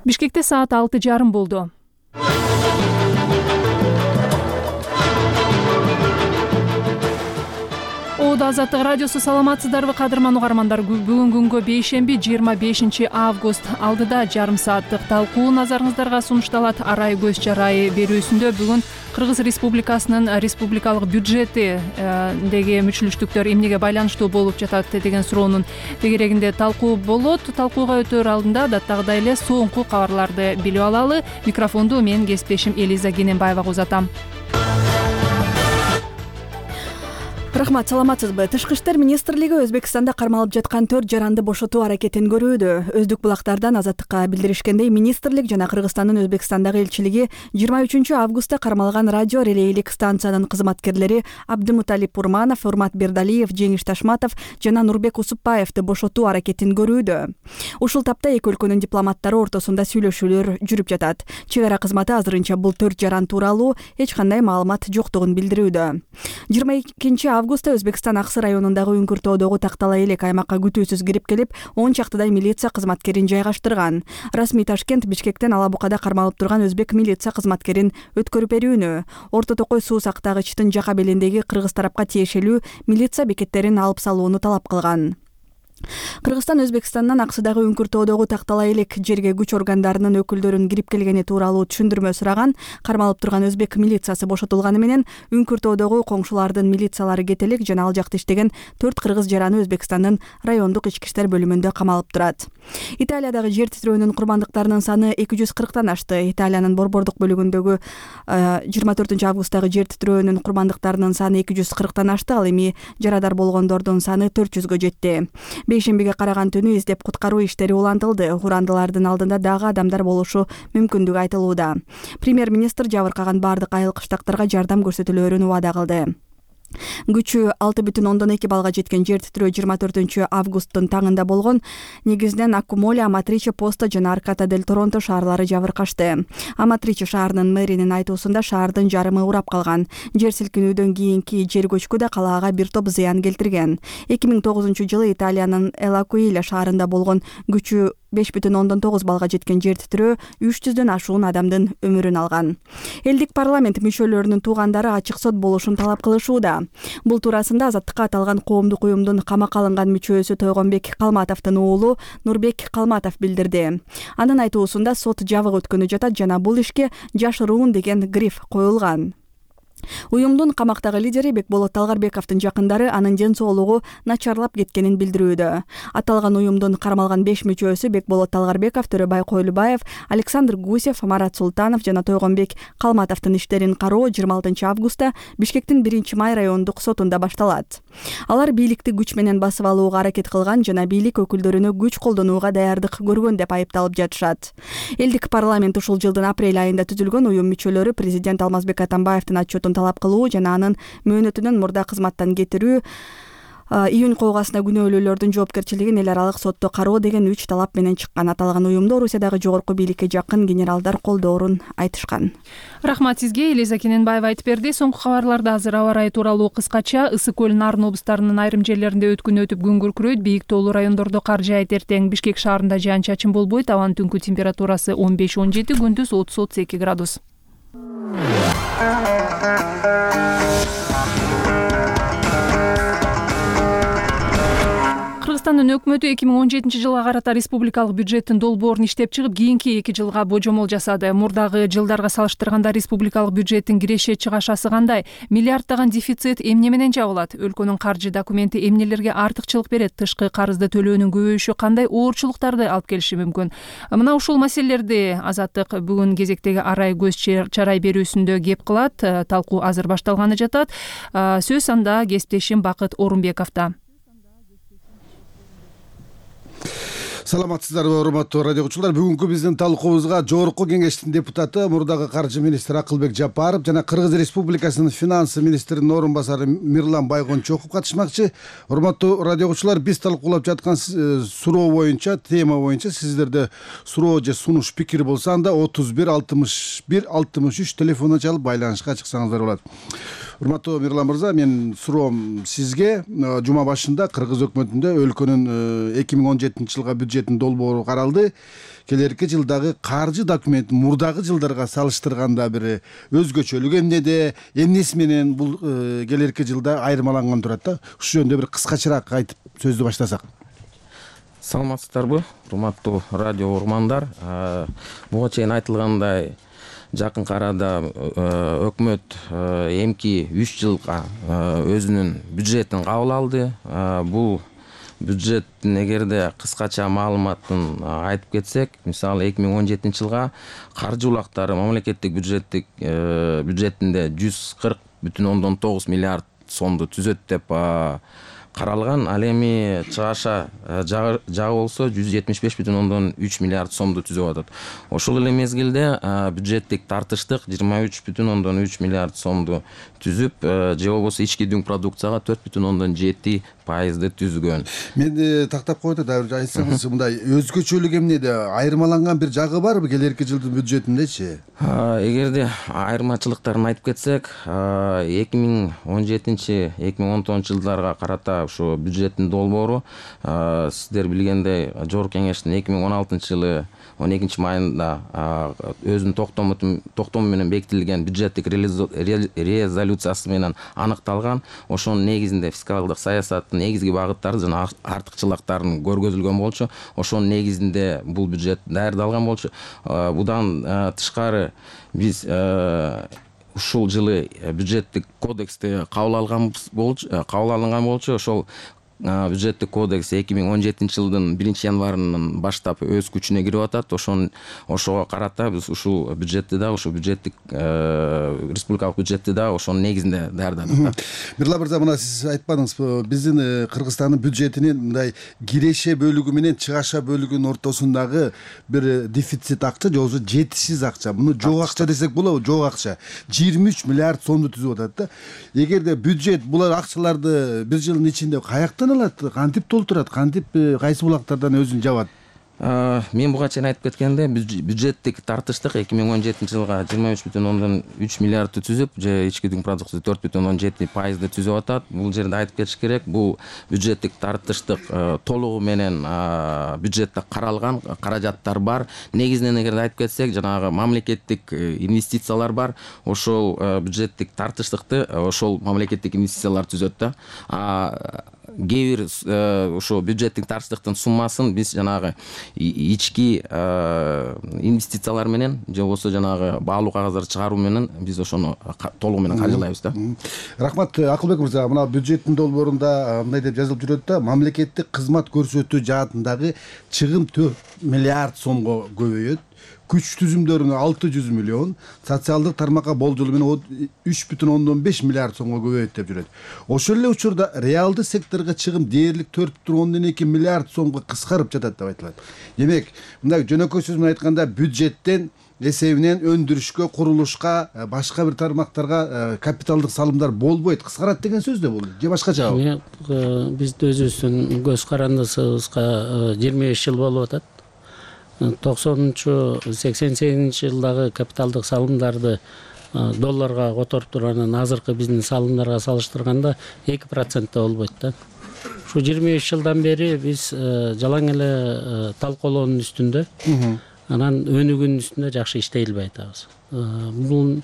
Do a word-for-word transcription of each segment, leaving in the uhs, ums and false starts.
Бишкекте саат алты жарым болду. Оодо Азаттык радиосу, саламатсыздарбы кадырман угармандар? Бүгүн күнгө бейшемби жыйырма бешинчи август алдыда жарым сааттык талкуу назарыңыздарга сунушталат. Арай көз жарай берүүсүндө бүгүн Кыргыз Республикасынын республикалык бюджеттиги мүчүлүштүктөр эмнеге байланыштуу болуп жатат деген суроонун тегерегинде талкуу болот. Талкууга өтөр алдында даттагыдай эле соңку кабарларды билип алалы. Микрофонду мен кесиптешим Элиза Кененбаевага узатам. Рахмат, саламатсызбы? Тышкы иштер министрлиги Өзбекстанда кармалып жаткан төрт жаранды бошотуу аракетин көрүүдө. Өздүк булактардан Азаттыкка билдиришкендей, министрлик жана Кыргызстандын Өзбекстандагы элчилиги жыйырма үчүнчү августта кармалган радио релейлик станциянын кызматкерлери Абдымуталип Урманов, Урмат Бердалиев, Жеңиш Ташматов жана Нурбек Усупбаевди бошотуу аракетин көрүүдө. Ушул тапта эки өлкөнүн дипломаттары ортосунда сүйлөшүүлөр жүрүп жатат. Чек ара кызматы азырынча бул төрт жаран тууралуу эч кандай маалымат жоктугун билдирүүдө. жыйырма экинчи августта Өзбекстан Аксы районундагы Үңкүртоодогу Тактала элек аймакка күтүүсүз кирип келип, он чактыдай милиция кызматкерин жайгаштырган. Расмий Ташкент Бишкектен Ала Букада кармалып турган өзбек милиция кызматкерин өткөрүп берүүнү, Орто Токой суу сактагычтын жака белиндеги кыргыз тарапка тиешелүү милиция бекеттерин алып салууну талап кылган. Кыргызстан Өзбекстандан Аксыдагы Үңкүртоодогу Тактала элек жерге күч органдарынын өкүлдөрүнүн кирип келгени тууралуу түшүндүрмө сураган. Кармалып турган өзбек милициясы бошотулганы менен Үңкүртоодогу коңшулардын милициялары кетелик жана ал жакта иштеген төрт кыргыз жараны Өзбекстандын райондук ички иштер бөлүмүндө камалып турат. Италиядагы жер титирөөнүн курмандыктарынын саны эки жүз кырктан ашты. Италиянын борбордук бөлүгүндөгү жыйырма төртүнчү августтагы жер титирөөнүн курмандыктарынын саны эки жүз кырктан ашты. Ал эми жарадар болгондордун саны төрт жүзгө жетти. Бейшембиге караган түнү издеп куткаруу иштери улантылды. Урандылардын алдында дагы адамдар болушу мүмкүндүгү айтылууда. Премьер-министр жабыркаган бардык айыл кыштактарга жардам көрсөтүлөөрүн убада кылды. Күчү алты бүтүн ондон эки балга жеткен жер титирөө жыйырма төртүнчү августтун таңында болгон. Негизинен Аккумоле, Аматриче, Поста жана Арката дель Торонто шаарлары жабыркашты. Аматриче шаарынын мэринин айтуусунда шаардын жарымы урап калган. Жер силкинүүдөн кийинки жер көчкү да калаага бир топ зыян келтирген. эки миң тогузунчу жылы Италиянын Элакуиле шаарында болгон күчү беш бүтүн ондон тогуз балга жеткен жер титирөө үч жүздөн ашуун адамдын өмүрүн алган. Элдик парламент мүчөлөрүнүн туугандары ачык сот болушун талап кылышууда. Бул туурасында Азаттыкка аталган коомдук уюмдун камакка алынган мүчөсү Тойгонбек Калматовдун уулу Нурбек Калматов билдирди. Анын айтуусунда сот жабык өткөнү жатат жана бул ишке жашыруун деген гриф коюлган. Уюмдун камактагы лидери Бекболот Талгарбековдун жакындары анын ден соолугу начарлап кеткенин билдирүүдө. Аталган уюмдун кармалган беш мүчөсү Бекболот Талгарбеков, Төрөбай Койлубаев, Александр Гусев, Марат Султанов жана Тойгонбек Калматовдун иштерин кароо жыйырма алтынчы августта Бишкектин биринчи май райондук сотунда башталат. Алар бийликти күч менен басып алууга аракет кылган жана бийлик өкүлдөрүнө күч колдонууга даярдык көргөн деп айыпталып жатышат. Элдик парламент ушул жылдын апрель айында түзүлгөн уюм мүчөлөрү президент Алмазбек Атамбаевдин отчетун талап кылуу жана анын мөөнөтүнөн мурда кызматтан кетирүү, июнь койгасына күнөөлүүлөрдүн жоопкерчилигин эл аралык сотто кароо деген үч талап менен чыккан. Аталган уюмду Орусиядагы жогорку бийликке жакын генералдар колдоорун айтышкан. Рахмат сизге, Элиза Кененбаева айтып берди. Соңку кабарларда азыр аба ырайы тууралуу кыскача. Ысык көл, Нарын облустарынын айрым жерлеринде өткүн өтүп күн күркүрөйт. Бийик тоолуу райондордо кар жаайт. Эртең Бишкек шаарында жаан-чачын болбойт. Абанын түнкү температурасы он беш он жети, күндүз отуз отуз эки градус. Кыргызстандын өкмөтү эки миң он жетинчи жылга карата республикалык бюджеттин долбоорун иштеп чыгып, кийинки эки жылга божомол жасады. Мурдагы жылдарга салыштырганда республикалык бюджеттин киреше чыгашасы кандай? Миллиарддаган дефицит эмне менен жабылат? Өлкөнүн каржы документи эмнелерге артыкчылык берет? Тышкы карызды төлөөнүн көбөйүшү кандай оорчулуктарды алып келиши мүмкүн? Мына ушул маселелерди Азаттык бүгүн кезектеги арай көз чарай берүүсүндө кеп кылат. Талкуу азыр башталганы жатат. Сөз анда кесиптешим Бакыт Орунбековдо. Саламатсыздарбы, урматтуу радио окуучулар. Бүгүнкү биздин талкуубузга жогорку кеңештин депутаты, мурдагы каржы министри Акылбек Жапаров жана Кыргыз Республикасынын финансы министринин орун басары Мирлан Байгончоков катышмакчы. Урматтуу радио окуучулар, биз талкуулап жаткан суроо боюнча, тема боюнча сиздерде суроо же сунуш пикир болсо, анда отуз бир алтымыш бир алтымыш үч телефонуна чалып байланышка чыксаңыздар болот. Урматтуу Мирлан мырза, мен суроом сизге. Жума башында Кыргыз өкмөтүндө өлкөнүн эки миң он жетинчи жылга бюджеттин долбоору каралды. Келерки жылдагы каржы документ мурдагы жылдарга салыштырганда бир өзгөчөлүк эмнеде, эмнеси менен бул келерки жылда айырмаланган турат да? Ушул жөнүндө бир кыскачараак айтып сөздү баштасак. Саламатсыздарбы, урматтуу радио урмандар. Буга чейин айтылгандай, жакынкы арада өкмөт эмки үч жылга өзүнүн бюджетин кабыл алды. Бул бюджеттин эгерде кыскача маалыматын айтып кетсек, мисалы эки миң он жетинчи жылга каржы улактары мамлекеттик бюджеттик бюджетинде жүз кырк бүтүн ондон тогуз миллиард сомду түзөт деп каралган. Ал эми чыгаша жагы болсо жүз жетимиш беш бүтүн ондон үч миллиард сомду түзүп атат. Ошол эле мезгилде бюджеттик тартыштык жыйырма үч бүтүн ондон үч миллиард сомду түзүп, же болбосо ички дүң продукцияга төрт бүтүн ондон жети пайызды түзгөн. Мен тактап койду да бир айтсаңыз, мындай өзгөчөлүк эмнеде, айырмаланган бир жагы барбы келерки жылдын бюджетиндечи? Эгерде айырмачылыктарын айтып кетсек, эки миң он жетинчи эки миң он тогузунчу жылдарга карата ушу бюджеттин долбоору сиздер билгендей Жогорку Кеңештин эки миң он алтынчы жылы он экинчи майында өзүнүн токтому менен бекитилген бюджеттик резолюциясы менен аныкталган. Ошонун негизинде фискалдык саясаттын негизги багыттары жана артыкчылыктарын көргөзүлгөн болчу. Ошонун негизинде бул бюджет даярдалган болчу. Будан тышкары биз ушул жылы бюджеттик кодексти кабыл алган болчу, кабыл алынган болчу. Ошол бюджеттик кодекс эки миң он жетинчи жылдын биринчи январынан баштап өз күчүнө кирип атат. Ошон ошого карата биз ушул бюджетти да, ушул бюджеттик республикалык бюджетти да ошонун негизинде даярдадык. Мирлан мырза, мына сиз айтпадыңызбы, биздин Кыргызстандын бюджетинин мындай киреше бөлүгү менен чыгаша бөлүгүнүн ортосундагы бир дефицит акча, же болбосо жетишсиз акча. Муну жок акча десек болобу? Жок акча. жыйырма үч миллиард сомду түзүп атат да. Эгерде бюджет булар акчаларды бир жылдын ичинде каяктан алат, кантип толтурат, кантип кайсы булактардан өзүн жабат? Мен буга чейин айтып кеткенде, бюджеттик тартыштык эки миң он жетинчи жылга жыйырма үч бүтүн ондон үч миллиардты түзүп, же ички дүң продукциясы төрт бүтүн ондон жети пайызды түзүп атат. Бул жерде айтып кетиш керек, бул бюджеттик тартыштык толугу менен бюджетте каралган, каражаттар бар. Негизинен эгерде айтып кетсек, жанагы мамлекеттик инвестициялар бар. Ошол бюджеттик тартыштыкты ошол мамлекеттик инвестициялар түзөт да. Кээ бир ошо бюджеттик тартыштыктын суммасын биз жанагы ички инвестициялар менен, же болбосо жанагы баалуу кагаздарды чыгаруу менен биз ошону толугу менен каржылайбыз да. Рахмат, Акылбек мырза. Мына бюджеттин долбоорунда мындай деп жазылып жүрөт да: мамлекеттик кызмат көрсөтүү жаатындагы чыгым төрт миллиард сомго көбөйөт. Күч түзүмдөрүнө алты жүз миллион, социалдык тармакка болжолу менен үч бүтүн ондон беш миллиард сомго көбөйөт деп жүрөт. Ошол эле учурда реалдуу секторго чыгым дээрлик төрт бүтүн ондон эки миллиард сомго кыскарып жатат деп айтылат. Демек, мындай жөнөкөй сөз менен айтканда, бюджеттен эсебинен өндүрүшкө, курулушка, башка бир тармактарга капиталдык салымдар болбойт, кыскарат деген сөз да бул, же башкачабы? Биз өзүбүздүн көз карандысыбызга жыйырма беш жыл болуп атат. токсонунчу сексен сегизинчи жылдагы капиталдык салымдарды долларга которуп тургандан азыркы биздин салымдарга салыштырганда эки процентте болбойт да. Ушу жыйырма беш жылдан бери биз жалаң эле талкуулоонун үстүндө, анан өнүгүүнүн үстүндө жакшы иштей албай атабыз. Бул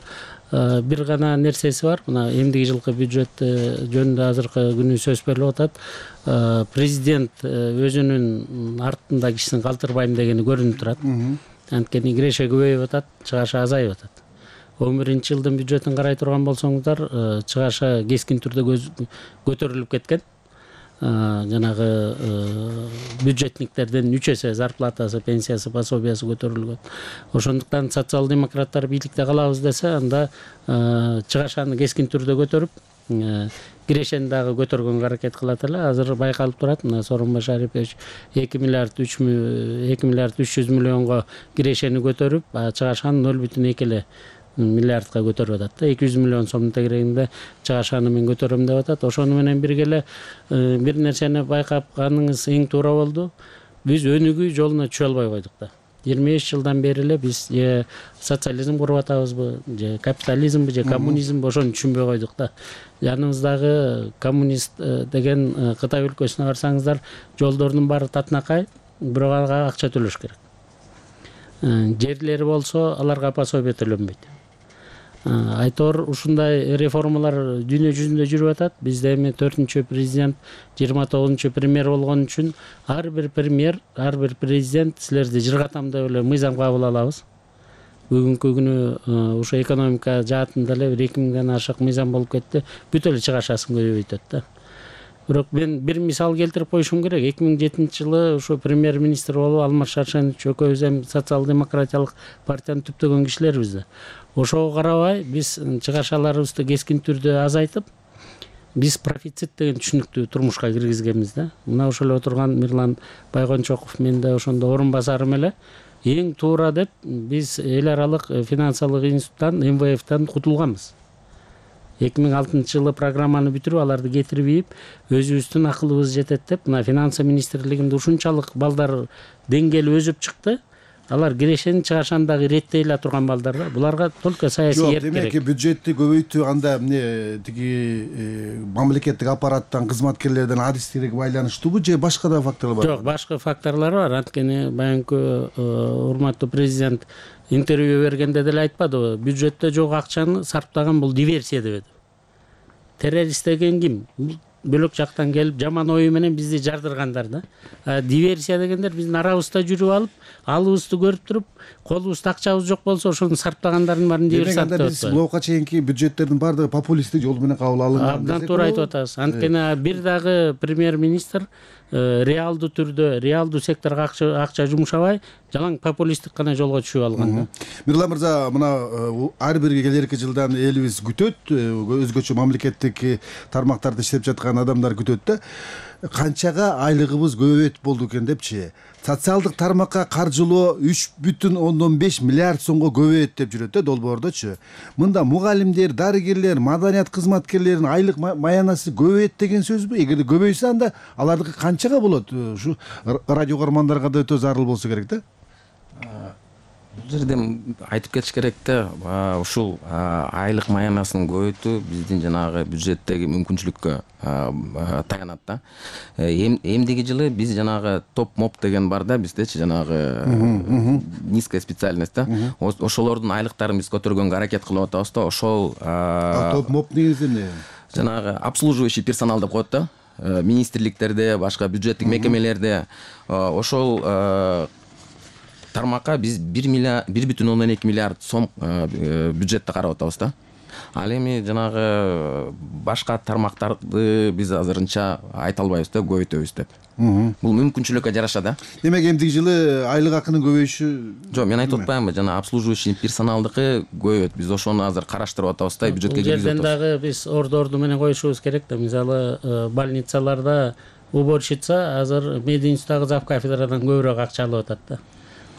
бир гана нерсеси бар. Мына эмдиги жылкы бюджет жөнүндө азыркы күнү сөз берилип атат. Президент өзүнүн артында кишисин калтырбайм дегени көрүнүп турат. Анткени киреше көбөйүп атат, чыгаша азайып атат. он биринчи жылдын бюджетин карай турган болсоңуздар, чыгаша кескин түрдө көтөрүлүп кеткен. Жанагы бюджетниктердин үч эсе зарплатасы, пенсиясы, пособиясы көтөрүлгөн. Ошондуктан социал-демократтар бийликте калабыз десе, анда чыгашаны кескин түрдө көтөрүп, кирешени дагы көтөргөнгө аракет кылат эле. Азыр байкалып турат, мына Сооронбай Шарипович эки миллиард үч жүз миллионго кирешени көтөрүп, чыгашаны ноль бүтүн эки эле миллиардка көтөрүп атат. эки жүз миллион сомдун тегерегинде чыгашаны мен көтөрөм деп атат. Ошону менен бирге эле бир нерсени байкап каныңыз эң туура болду. Биз өнүгүү жолуна түшө албай койдук да. жыйырма беш жылдан бери эле биз же социализм куруп атабызбы, же капитализмби, же коммунизмби ошону түшүнбөй койдук да. Жаныбыздагы коммунист деген Кытай өлкөсүнө барсаңыздар, жолдордун баары татынакай, бирок ага акча төлөш керек. Жерлери болсо аларга пособие төлөнбөйт. Айтор ушундай реформалар дүйнө жүзүндө жүрүп атат. Бизде эми төртүнчү президент, жыйырма тогузунчу премьер болгон үчүн ар бир премьер, ар бир президент силерди жыргатам деп эле мыйзам кабыл алабыз. Бүгүнкү күнү ошо экономика жаатында эле бир эки миңден ашык мыйзам болуп кетти. Бүт эле чыгашасын көбөйтөт да. Бирок мен бир мисал келтирип коюшум керек. эки миң жетинчи жылы ошо премьер-министр болуп Алмаз Шаршенович экөөбүз эми социал-демократиялык партияны түптөгөн кишилербиз да. Ошого карабай биз чыгашаларыбызды кескин түрдө азайтып, биз профицит деген түшүнүктү турмушка киргизгенбиз да. Мына ошол эле отурган Мирлан Байгончоков, мен да ошондо орун басарым эле эң туура деп биз эл аралык финансылык институттан, эм вэ эфтен кутулганбыз. эки миң алтынчы жылы программаны бүтүрүп, аларды кетирип ийип, өзүбүздүн акылыбыз жетет деп, мына финансы министрлигинде ушунчалык балдар деңгээли өсүп чыкты. Алар кирешени чыгашаны дагы иреттей эле турган балдар да. Буларга только саясий эрк керек. Демек бюджетти көбөйтүү анда эмне тиги мамлекеттик аппараттан, кызматкерлерден адистиги байланыштуубу же башка да факторлор бар? Жок, башка факторлор бар. Анткени баягы урматтуу президент интервью бергенде деле айтпадыбы? Бюджетте жок акчаны сарптаган бул диверсия деп. Террорист деген ким? Бөлөк жактан келип жаман ою менен бизди жардыргандар да. Диверсия дегендер биздин арабызда жүрүп алып, алыбызды көрүп туруп, колубузда акчабыз жок болсо ошону сарптагандардын баарын диверсиянт деп атат. Биз буга чейинки бюджеттердин баардыгы популисттик жол менен кабыл алынган. Абдан туура айтып атасыз. Анткени бир дагы премьер-министр реалдуу түрдө, реалдуу секторго акча жумшабай, жалаң популисттик гана жолго түшүп алган да. Мирлан мырза, мына ар бир келерки жылдан элибиз күтөт, өзгөчө мамлекеттик тармактарда иштеп жаткан адамдар күтөт да. Канчага айлыгыбыз көбөйөт болду экен депчи. Социалдык тармакка каржылоо үч бүтүн ондон беш миллиард сомго көбөйөт деп жүрөт да долбоордочу. Мында мугалимдер, дарыгерлер, маданият кызматкерлеринин айлык маянасы көбөйөт деген сөзбү? Эгерде көбөйсө анда алардыкы канчага болот? Ушу радио көрөрмандарга да өтө зарыл болсо керек да. Бул жерде айтып кетиш керек да, ушул айлык маянасын көбөйтүү биздин жанагы бюджеттеги мүмкүнчүлүккө таянат да. Эмдиги жылы биз жанагы топ-моп деген бар да, биздечи жанагы низкая специальность да. Ошолордун айлыктарын биз көтөргөнгө аракет кылып атабыз да. Ошол топ-моп негизи эмне? Жанагы обслуживающий персонал деп коет да. Министрликтерде, башка бюджеттик мекемелерде ошол тармакка биз бир бүтүн ондон эки миллиард сом бюджетти карап атабыз да. Ал эми жанагы башка тармактарды биз азырынча айта албайбыз да, көбөйтөбүз деп. Бул мүмкүнчүлүккө жараша да. Демек эмдиги жылы айлык акынын көбөйүшү? Жок, мен айтып атпаймынбы, жана обслуживающий персоналдыкы көбөйөт. Биз ошону азыр караштырып атабыз да, бюджетке киргизип атабыз. Бул жерден дагы биз орду-орду менен коюшубуз керек да. Мисалы, больницаларда уборщица азыр мединститутагы зав кафедрадан көбүрөөк акча алып атат да.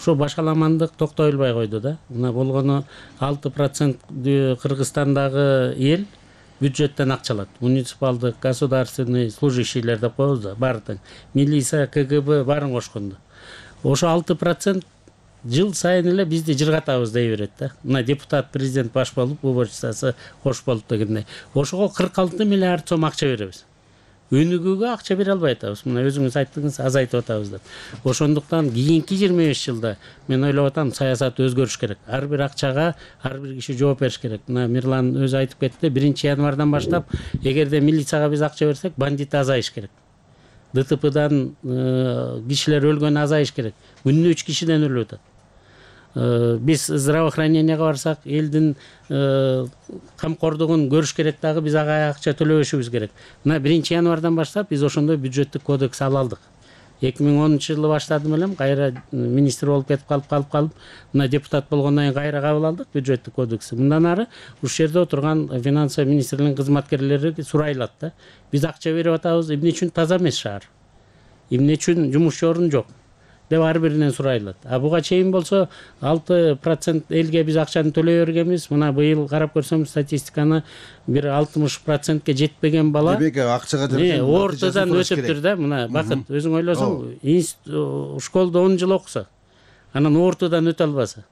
Ошо башаламандык токтойлбой койду да. Мына болгону алты процент Кыргызстандагы эл бюджеттен акча алат. Муниципалдык, государственный служащийлер деп коебуз да, баардык. Милиция, ка гэ бэ баарын кошкондо. Ошо алты процент жыл сайын эле бизди жыргатабыз дей берет да. Мына депутат, президент баш болуп, уборщицасы кош болуп дегендей. Ошого кырк алты миллиард сом акча беребиз. Өнүгүүгө акча бере албай атабыз. Мына өзүңүз айттыңыз, азайтып атабыз деп. Ошондуктан кийинки жыйырма беш жылда мен ойлоп атам, саясат өзгөрүш керек. Ар бир акчага ар бир киши жооп бериш керек. Мына Мирлан өзү айтып кетти, биринчи январдан баштап эгерде милицияга биз акча берсек, бандит азайыш керек. дэ тэ пэдан кишилер өлгөн азайыш керек. Күнүнө үч кишиден өлүп атат. Биз здравоохранениеге барсак, элдин камкордугун көрүш керек дагы, биз ага акча төлөбөшүбүз керек. Мына биринчи январдан баштап биз ошондой бюджеттик кодекс ала алдык. эки миң онунчу жылы баштадым элем, кайра министр болуп кетип калып калып калып, мына депутат болгондон кийин кайра кабыл алдык бюджеттик кодексти. Мындан ары ушул жерде отурган финансы министрлигинин кызматкерлери сурайлат да. Биз акча берип атабыз, эмне үчүн таза эмес шаар? Эмне үчүн жумушчу орун жок? деп ар биринен сурайлат. А буга чейин болсо алты процент элге биз акчаны төлөй бергенбиз. Мына быйыл карап көрсөм статистиканы бир алтымыш процентке жетпеген бала. Демек акчага жараткан ортодон өтүптүр да. Мына бакыт өзүң ойлосоң, школдо он жыл окуса, анан ортодон өтө албаса,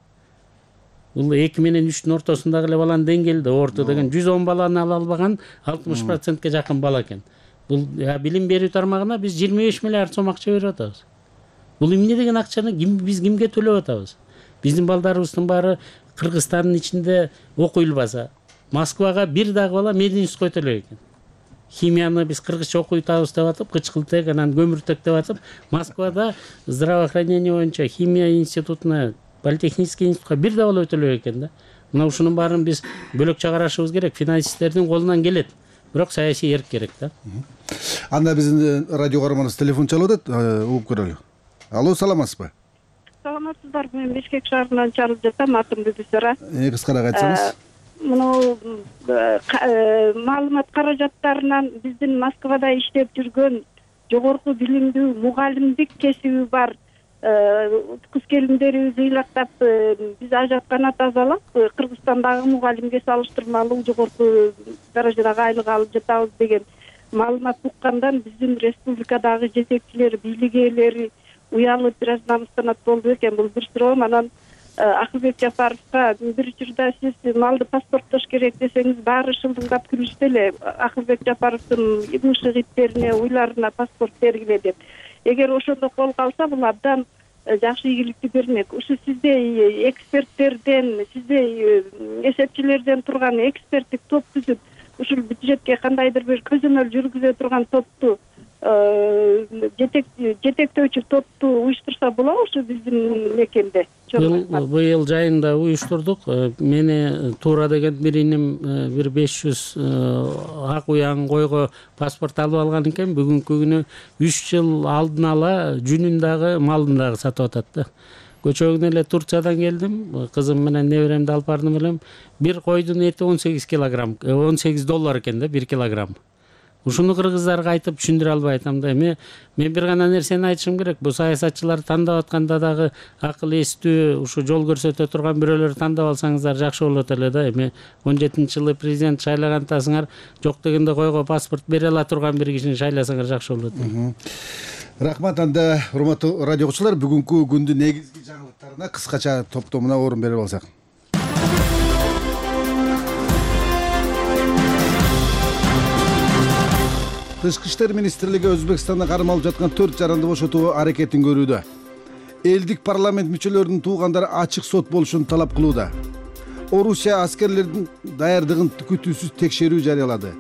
бул эки менен үчтүн ортосундагы эле баланын деңгээлде орто деген жүз он баланы ала албаган алтымыш процентке жакын бала экен. Бул билим берүү тармагына биз жыйырма беш миллиард сом акча берип атабыз. Бул эмне деген акчаны ким биз кимге төлөп атабыз? Биздин балдарыбыздын баары Кыргызстандын ичинде окуй албаса, Москвага бир дагы бала мединститутка өтө элек экен. Химияны биз кыргызча окуй атабыз деп атып, кычкылтек анан көмүртек деп атып, Москвада здравоохранение боюнча химия институтуна, политехнический институтка бир да бала өтө элек экен да. Мына ушунун баарын биз бөлөкчө карашыбыз керек. Финансисттердин колунан келет, бирок саясий эрк керек да. Анда биздин радио каарманыбыз телефон чалып атат, угуп көрөлү. Алло, саламатсызбы? Саламатсыздарбы? Мен Бишкек шаарынан чалып жатам, атым Бүбүсара. Э, кыскараак айтсаңыз. Муну маалымат каражаттарынан биздин Москвада иштеп жүргөн жогорку билимдүү мугалимдик кесиби бар кыз келиндерибизди ыйлактап биз ажаткана тазалап, Кыргызстандагы мугалимге салыштырмалуу жогорку даражадагы айлык алып жатабыз деген маалымат уккандан биздин республикадагы жетекчилер, бийлик ээлери уялып бир аз намыстанат болду экен. Бул бир суроо. Анан Акылбек Жапаровго бир учурда сиз малды паспорттош керек десеңиз, баары шылдыңдап күлүштү эле. Акылбек Жапаровдун ымышык иттерине, уйларына паспорт бергиле деп. Эгер ошондо колго алса, бул абдан жакшы ийгиликти бермек. Ушу сиздей эксперттерден, сиздей эсепчилерден турган эксперттик топ түзүп, ушул бюджетке кандайдыр бир көзөмөл жүргүзө турган топту, жетектөөчү топту уюштурса болобу ушу биздин мекенде? Быйыл жайында уюштурдук. Мени туура деген бир иним бир беш жүз ак уяң койго паспорт алып алган экен. Бүгүнкү күнү үч жыл алдын ала жүнүн дагы малын дагы сатып атат да. Көчөгүн эле Турциядан келдим, кызым менен неберемди алып бардым элем. Бир койдун эти он сегиз килограмм, он сегиз доллар экен да, бир килограмм. Ушуну кыргыздарга айтып түшүндүрө албай атам да. Эми мен бир гана нерсени айтышым керек. Бул саясатчылар тандап атканда дагы акыл эстүү, ушу жол көрсөтө турган бирөөлөр тандап алсаңыздар жакшы болот эле да. Эми он жетинчи жылы президент шайлагантасыңар, жок дегенде койго паспорт бере ала турган бир кишини шайласаңар жакшы болот. Рахмат. Анда урматтуу радио окуучулар, бүгүнкү күндүн негизги жаңылыктарына кыскача топтомуна орун берип алсак. Тышкы иштер министрлиги Өзбекстанда кармалып жаткан төрт жаранды бошотуу аракетин көрүүдө. Элдик парламент мүчөлөрүнүн туугандары ачык сот болушун талап кылууда. Орусия аскерлердин даярдыгын күтүүсүз текшерүү жарыялады.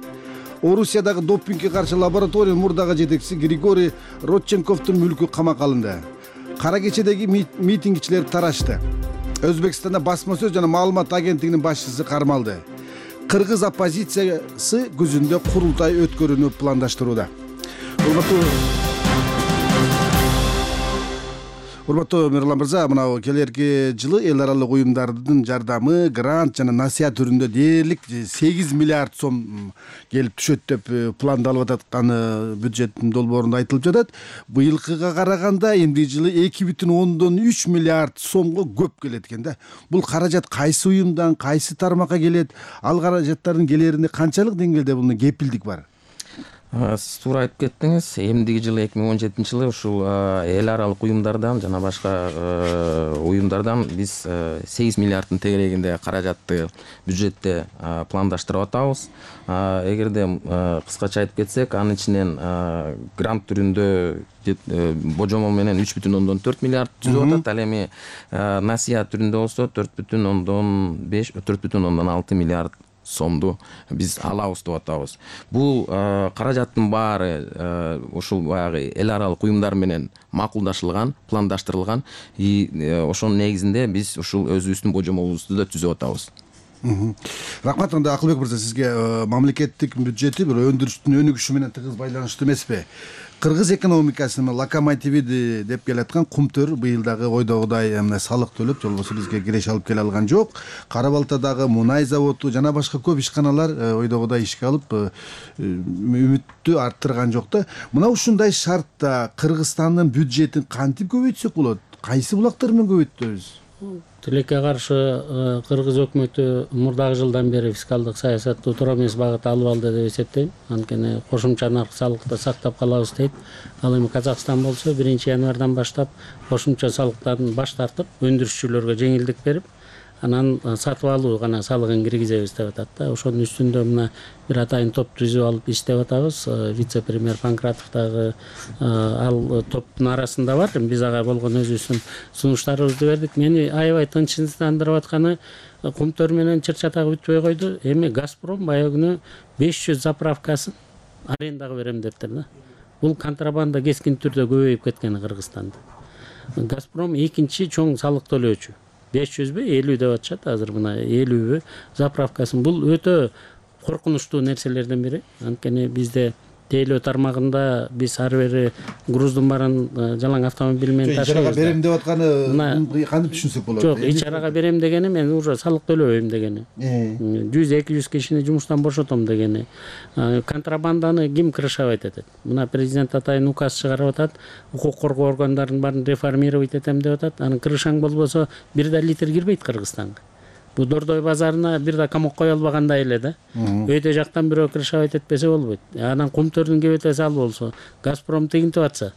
Орусиядагы допингге каршы лабораториянын мурдагы жетекчиси Григорий Родченковдун мүлкү камакка алынды. Кара кечедеги митингчилер тарашты. Өзбекстанда басма сөз жана маалымат агенттигинин башчысы кармалды. Кыргыз оппозициясы күзүндө курултай өткөрүүнү пландаштырууда. Урматтуу Мирлан мырза, мына келерки жылы эл аралык уюмдардын жардамы, грант жана насыят түрүндө дээрлик сегиз миллиард сом келип түшөт деп пландалып атканы бюджеттин долбоорунда айтылып жатат. Быйылкыга караганда эмди жылы эки бүтүн ондон үч миллиард сомго көп келет экен да. Бул каражат кайсы уюмдан, кайсы тармакка келет? Ал каражаттардын келеринде канчалык деңгээлде бул кепилдик бар? Сиз туура айтып кеттиңиз. Эмдиги жылы эки миң он жетинчи жылы ушул эл аралык уюмдардан жана башка уюмдардан биз сегиз миллиарддын тегерегинде каражатты бюджетте пландаштырып атабыз. Эгерде кыскача айтып кетсек, анын ичинен грант түрүндө божомол менен үч бүтүн ондон төрт миллиард түзүп атат. Ал эми насыят түрүндө болсо төрт бүтүн ондон беш, төрт бүтүн ондон алты миллиард сомду биз алабыз деп атабыз. Бул каражаттын баары ушул баягы эл аралык уюмдар менен макулдашылган, пландаштырылган. И ошонун негизинде биз ушул өзүбүздүн божомолубузду да түзүп атабыз. Рахмат. Анда Акылбек мырза, сизге мамлекеттик бюджети бир өндүрүштүн өнүгүшү менен тыгыз байланыштуу эмеспи? Кыргыз экономикасынын локомотиви деп келаткан Кумтөр быйыл дагы ойдогудай салык төлөп, болбосо бизге киреш алып келе алган жок. Кара Балтадагы мунай заводу жана башка көп ишканалар ойдогудай ишке алып үмүттү арттырган жок да. Мына ушундай шартта Кыргызстандын бюджетин кантип көбөйтсөк болот? Кайсы булактар менен көбөйтөбүз? тилекке каршы кыргыз өкмөтү мурдагы жылдан бери фискалдык саясатты туура эмес багытта алып алды деп эсептейм. Анткени кошумча наркы салыкты сактап калабыз дейт. Ал эми Казакстан болсо биринчи январдан баштап кошумча салыктан баш тартып, өндүрүшчүлөргө жеңилдик берип, анан сатып алуу гана салыгын киргизебиз деп атат да. Ошонун үстүндө мына бир атайын топ түзүп алып иштеп атабыз. Вице-премьер Панкратов дагы ал топтун арасында бар. Биз ага болгон өзүбүздүн сунуштарыбызды бердик. Мени аябай тынчсыздандырып атканы кумтөр менен чыр-чатак бүтпөй койду. Эми Газпром баягы күнү беш жүз заправкасын арендага берем дептир да. Бул контрабанда кескин түрдө көбөйүп кеткен Кыргызстанда. Газпром экинчи чоң салык төлөөчү. беш жүзбү, элүү деп атышат азыр, мына элүүбү заправкасын. Бул өтө коркунучтуу нерселерден бири. Анткени бизде тейлөө тармагында биз ар бери груздун баарын жалаң автомобиль менен ташыйбыз. Ичарага берем деп атканы кантип түшүнсөк болот? Жок, ичарага берем дегени мен уже салык төлөбөйм дегени. жүз эки жүз кишини жумуштан бошотом дегени. Контрабанданы ким крышавать этет? Мына президент атайын указ чыгарып атат, укук коргоо органдарын баарын реформировать этем деп атат. Анын крышаң болбосо бир да литр кирбейт Кыргызстанга. Бу Дордой базарына бир да камок кое албагандай эле да. Өтө жактан бирөө крышавать этпесе болбойт. Анан кумтөрдүн кебетеси ал болсо, Газпром тигинтип атса,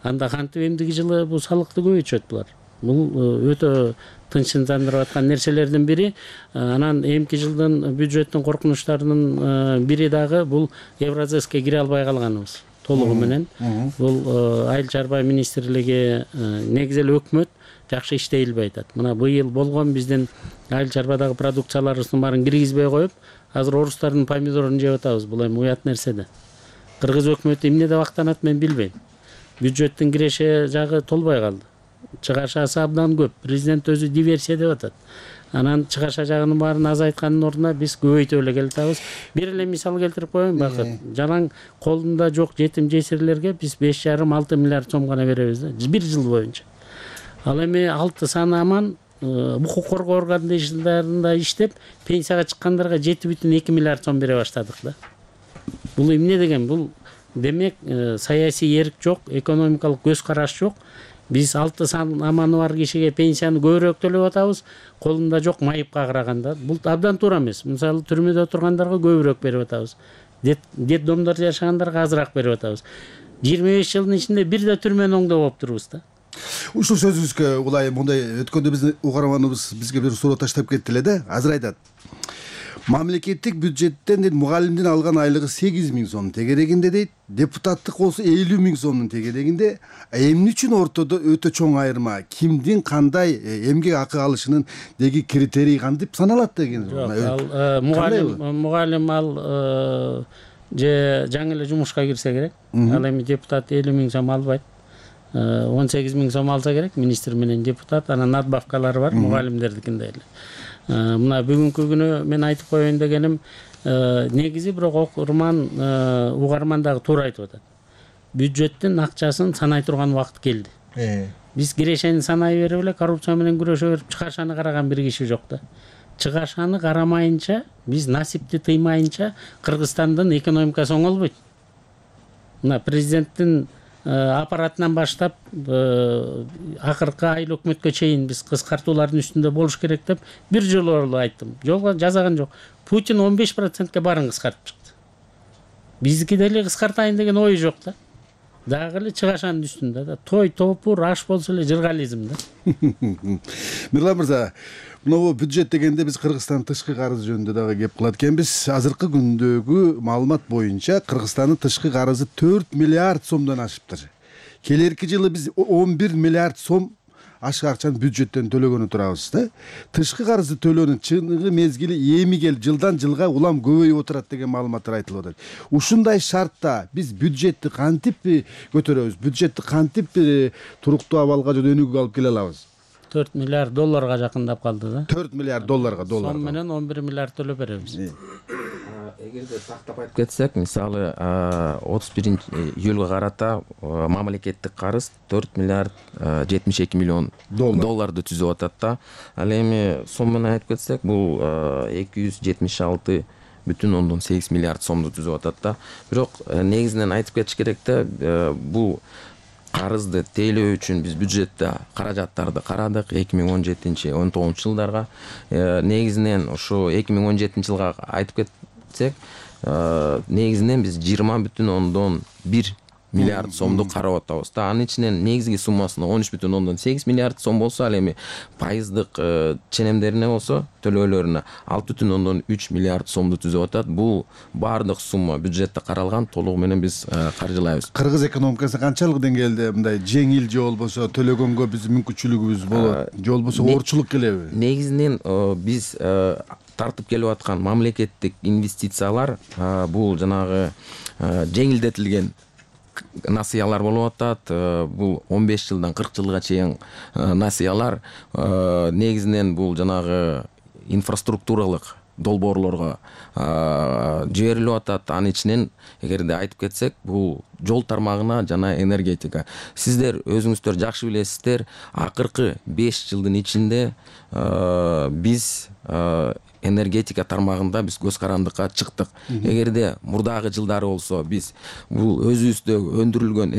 анда кантип эмдиги жылы бул салыкты көбөйтүшөт булар. Бул өтө тынчсыздандырып аткан нерселердин бири. Анан эмки жылдын бюджеттин коркунучтарынын бири дагы бул Евразеске кире албай калганыбыз толугу менен. Бул айыл чарба министрлиги, негизи эле өкмөт жакшы иштей илбей атат. Мына быйыл болгон биздин айыл чарбадагы продукцияларыбыздын баарын киргизбей коюп, азыр орустардын помидорун жеп атабыз. Бул эми уят нерсе да. Кыргыз өкмөтү эмне деп актанат мен билбейм. Бюджеттин киреше жагы толбой калды. Чыгашасы абдан көп. Президент өзү диверсия деп атат. Анан чыгаша жагынын баарын азайткандын ордуна биз көбөйтүп эле келатабыз. Бир эле мисал келтирип коеюн, Бакыт. Жалаң колунда жок жетим жесирлерге биз беш жарым алты миллиард сом гана беребиз да, бир жыл боюнча. Ал эми алты саны аман укук коргоо органдарында иштеп, пенсияга чыккандарга жети бүтүн эки миллиард сом бере баштадык да. Бул эмне деген? Бул демек саясий эрк жок, экономикалык көз караш жок. Биз алты сан аманы бар кишиге пенсияны көбүрөөк төлөп атабыз, колунда жок майыпка караганда. Бул абдан туура эмес. Мисалы түрмөдө тургандарга көбүрөөк берип атабыз. Дет домдордо жашагандарга азыраак берип атабыз. жыйырма беш жылдын ичинде бир да түрмөнү оңдоп болуптурбуз да. Ушул сөзүңүзгө улай мындай өткөндө биздин угарманыбыз бизге бир суроо таштап кетти эле да. Азыр айтат. Мамлекеттик бюджеттен дейт мугалимдин алган айлыгы сегиз миң сом тегерегинде дейт, депутаттык болсо элүү миң сомдун тегерегинде. Эмне үчүн ортодо өтө чоң айырма? Кимдин кандай эмгек акы алышынын деги критерий кантип саналат деген? Ал мугалим мугалим ал же жаңы эле жумушка кирсе керек. Ал эми депутат элүү миң сом албайт. он сегиз миң сом алса керек министр менен депутат. Анан надбавкалары бар мугалимдердикиндей эле. Мына бүгүнкү күнү мен айтып коеюн дегеним, негизи бирок окурман угарман дагы туура айтып атат. Бюджеттин акчасын санай турган убакыт келди. Биз кирешени санай берип эле коррупция менен күрөшө берип чыгашаны караган бир киши жок да. Чыгашаны карамайынча, биз насипти тыймайынча Кыргызстандын экономикасы оңолбойт. Мына президенттин аппаратынан баштап акыркы айыл өкмөткө чейин биз кыскартуулардын үстүндө болуш керек деп бир жолу айттым. Жолго жазаган жок. Путин он беш процентке баарын кыскартып чыкты. Биздики деле кыскартайын деген ой жок да. Дагы эле чыгашанын үстүндө да. Той топур аш болсо эле жыргализм да. Мирлан мырза, мына бюджет дегенде биз Кыргызстандын тышкы карызы жөнүндө дагы кеп кылат экенбиз. Азыркы күндөгү маалымат боюнча Кыргызстандын тышкы карызы төрт миллиард сомдон ашыптыр. Келерки жылы биз он бир миллиард сом ашык акчаны бюджеттен төлөгөнү турабыз да. Тышкы карызы төлөөнүн чыныгы мезгили эми келип жылдан жылга улам көбөйүп отурат деген маалыматтар айтылып атат. Ушундай шартта биз бюджетти кантип көтөрөбүз? Бюджетти кантип туруктуу абалга же өнүгүүгө алып келе алабыз? төрт миллиард долларга жакындап калды да. төрт миллиард долларга доллар. Сом менен он бир миллиард төлөп беребиз. Эгерде тактап айтып кетсек, мисалы отуз биринчи июлга карата мамлекеттик карыз төрт миллиард жетимиш эки миллион долларды түзүп атат да. Ал эми сом менен айтып кетсек, бул эки жүз жетимиш алты бүтүн ондон сегиз миллиард сомду түзүп атат да. Бирок негизинен айтып кетиш керек да, бул карызды тейлөө үчүн биз бюджетте каражаттарды карадык эки миң он жетинчи он тогузунчу жылдарга. Негизинен ошо эки миң он жетинчи жылга айтып кетсек, негизинен биз жыйырма бүтүн ондон бир миллиард сомду карап атабыз да. Анын ичинен негизги суммасына он үч бүтүн ондон сегиз миллиард сом болсо, ал эми пайыздык ченемдерине болсо, төлөөлөрүнө алты бүтүн ондон үч миллиард сомду түзүп атат. Бул баардык сумма бюджетте каралган, толугу менен биз каржылайбыз. Кыргыз экономикасы канчалык деңгээлде мындай жеңил же болбосо төлөгөнгө биздин мүмкүнчүлүгүбүз болот, же болбосо оорчулук келеби? Негизинен биз тартып келип аткан мамлекеттик инвестициялар бул жанагы жеңилдетилген насыялар болуп атат. Бул он беш жылдан кырк жылга чейин насыялар. Негизинен бул жанагы инфраструктуралык долбоорлорго жиберилип атат. Анын ичинен эгерде айтып кетсек, бул жол тармагына жана энергетика. Сиздер өзүңүздөр жакшы билесиздер, акыркы беш жылдын ичинде биз энергетика тармагында биз көз карандыкка чыктык. Эгерде мурдагы жылдары болсо биз бул өзүбүздө өндүрүлгөн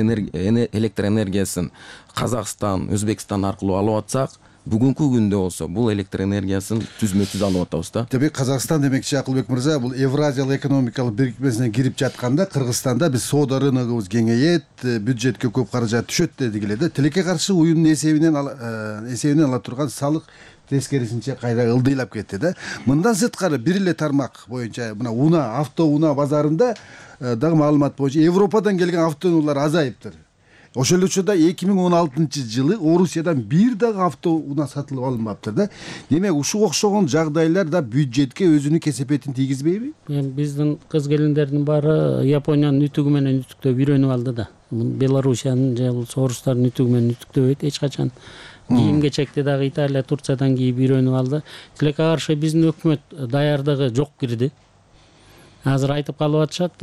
электр энергиясын Казакстан, Өзбекстан аркылуу алып атсак, бүгүнкү күндө болсо бул электр энергиясын түзмө түз алып атабыз да. Демек Казакстан демекчи Акылбек мырза, бул Евразиялык экономикалык бирикмесине кирип жатканда Кыргызстанда биз соода рыногубуз кеңейет, бюджетке көп каражат түшөт дедик эле да. Тилекке каршы уюмдун эсебинен эсебинен ала турган салык тескерисинче кайра ылдыйлап кетти да. Мындан сырткары бир эле тармак боюнча мына унаа, автоунаа базарында дагы маалымат боюнча Европадан келген автоунаалар азайыптыр. Ошол эле учурда эки миң он алтынчы жылы Орусиядан бир дагы автоунаа сатылып алынбаптыр да. Демек ушуга окшогон жагдайлар да бюджетке өзүнүн кесепетин тийгизбейби? Эми биздин кыз келиндердин баары Япониянын ütүгү менен ütүктөп үйрөнүп алды да. Белоруссиянын же болбосо орустардын ütүгү менен ütүктөбөйт эч качан. Кийим кечекти дагы Италия, Турциядан кийип үйрөнүп алды. Тилекке каршы биздин өкмөт даярдыгы жок кирди. Азыр айтып калып атышат,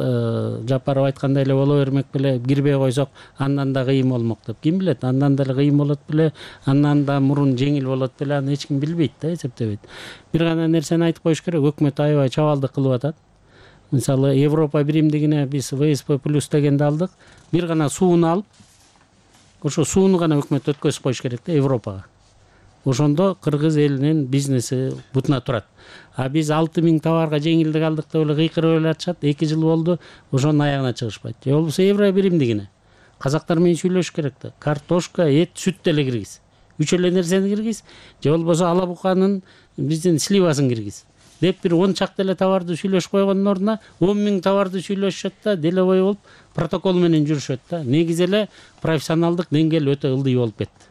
Жапаров айткандай эле боло бермек беле, кирбей койсок андан да кыйын болмок деп. Ким билет, андан деле кыйын болот беле, андан да мурун жеңил болот беле, аны эч ким билбейт да, эсептебейт. Бир гана нерсени айтып коюш керек, өкмөт аябай чабалдык кылып атат. Мисалы, Европа биримдигине биз вэ эс пэ плюс дегенди алдык. Бир гана сууну алып, ошо сууну гана өкмөт өткөзүп коюш керек да Европага. Ошондо кыргыз элинин бизнеси бутуна турат. А биз алты миң товарга жеңилдик алдык деп эле кыйкырып эле атышат. эки жыл болду, ошонун аягына чыгышпайт. Же болбосо Евро биримдигине казактар менен сүйлөшүш керек да. Картошка, эт, сүт деле киргиз. Үч эле нерсени киргиз. Же болбосо ала буканын биздин сливасын киргиз. Деп бир он чакты эле товарды сүйлөшүп койгондун ордуна он миң товарды сүйлөшүшөт да, деле бой болуп протокол менен жүрүшөт да. Негизи эле профессионалдык деңгээл өтө ылдый болуп кетти.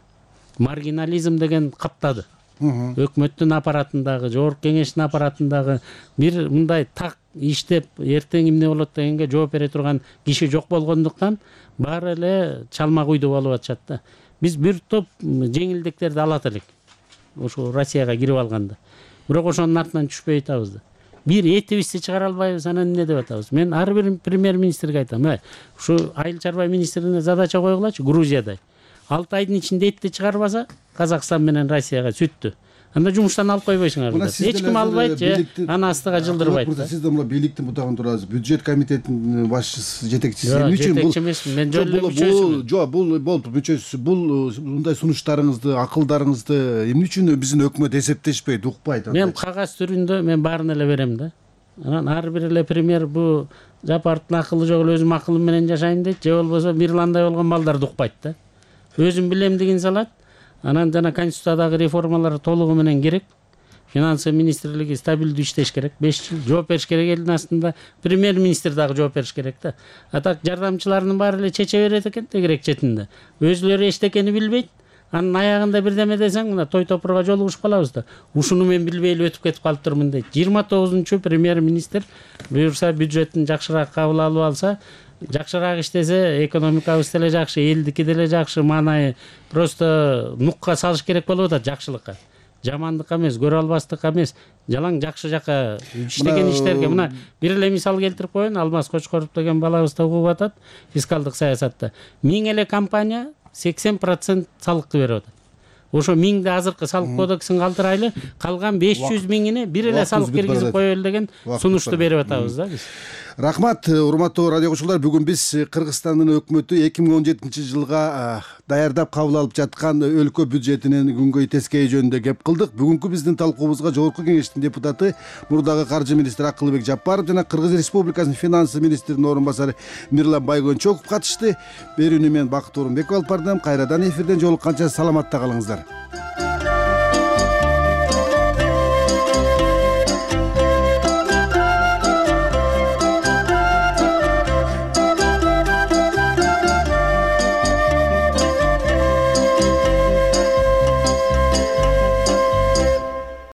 Маргинализм деген каптады. Өкмөттүн аппаратындагы, жогорку кеңештин аппаратындагы бир мындай так иштеп, эртең эмне болот дегенге жооп бере турган киши жок болгондуктан баары эле чалма куйду болуп атышат да. Биз бир топ жеңилдиктерди алат элек. Ошо Россияга кирип алганда. Бирок ошонун артынан түшпөй атабыз да. Бир этибизди чыгара албайбыз, анан эмне деп атабыз? Мен ар бир премьер-министрге айтам, э, ушу айыл чарба министрине задача койгулачы, Грузиядай. алты айдын ичинде этти чыгарбаса, Казакстан менен Россияга сүттү. Анда жумуштан алып койбойсуңар. Эч ким албайт же аны астыга жылдырбайт. Сиз да мына бийликтин бутагында турасыз. Бюджет комитетинин башчысы, жетекчиси. Эмне үчүн бул? Жетекчи эмесмин, мен жөн эле мүчөсүмүн. Жок, бул болду, мүчөсү. Бул мындай сунуштарыңызды, акылдарыңызды эмне үчүн биздин өкмөт эсептешпейт, укпайт? Мен кагаз түрүндө мен баарын эле берем да. Анан ар бир эле премьер бу Жапаровдун акылы жок эле өзүм акылым менен жашайм дейт, же болбосо Мирландай болгон балдарды укпайт да. Өзүм билем деген салат. Анан жана конституциядагы реформалар толугу менен керек. Финансы министрлиги стабилдүү иштеш керек. беш жыл жооп бериш керек элдин астында. Премьер-министр дагы жооп бериш керек да. А так жардамчыларынын баары эле чече берет экен тегерек четинде. Өзүлөрү эчтекени билбейт. Анын аягында бирдеме десең, мына той топурга жолугушуп калабыз да. Ушуну мен билбей эле өтүп кетип калыптырмын дейт. жыйырма тогузунчу премьер-министр буюрса бюджеттин жакшыраак кабыл алып алса, жакшыраак иштесе, экономикабыз деле жакшы, элдики деле жакшы, маанайы просто нукка салыш керек болуп атат жакшылыкка. Жамандыкка эмес, көрө албастыкка эмес, жалаң жакшы жака иштеген иштерге. Мына бир эле мисал келтирип коеюн, Алмаз Кочкоров деген балабыз да угуп атат фискалдык саясатта. Миң эле компания сексен процент салыкты берип атат. Ошо миңди азыркы салык кодексин калтырайлы, калган беш жүз миңине бир эле салык киргизип коелу деген сунушту берип атабыз да биз. Рахмат, урматтуу радио кошулар. Бүгүн биз Кыргызстандын өкмөтү эки миң он жетинчи жылга даярдап кабыл алып жаткан өлкө бюджетинин күнгөй тескейи жөнүндө кеп кылдык. Бүгүнкү биздин талкуубузга Жогорку Кеңештин депутаты, мурдагы каржы министри Акылбек Жапаров жана Кыргыз Республикасынын финансы министринин орун басары Мирлан Байгончоков катышты. Берүүнү мен Бакыт Орунбеков алып бардым. Кайрадан эфирден жолукканча саламатта калыңыздар.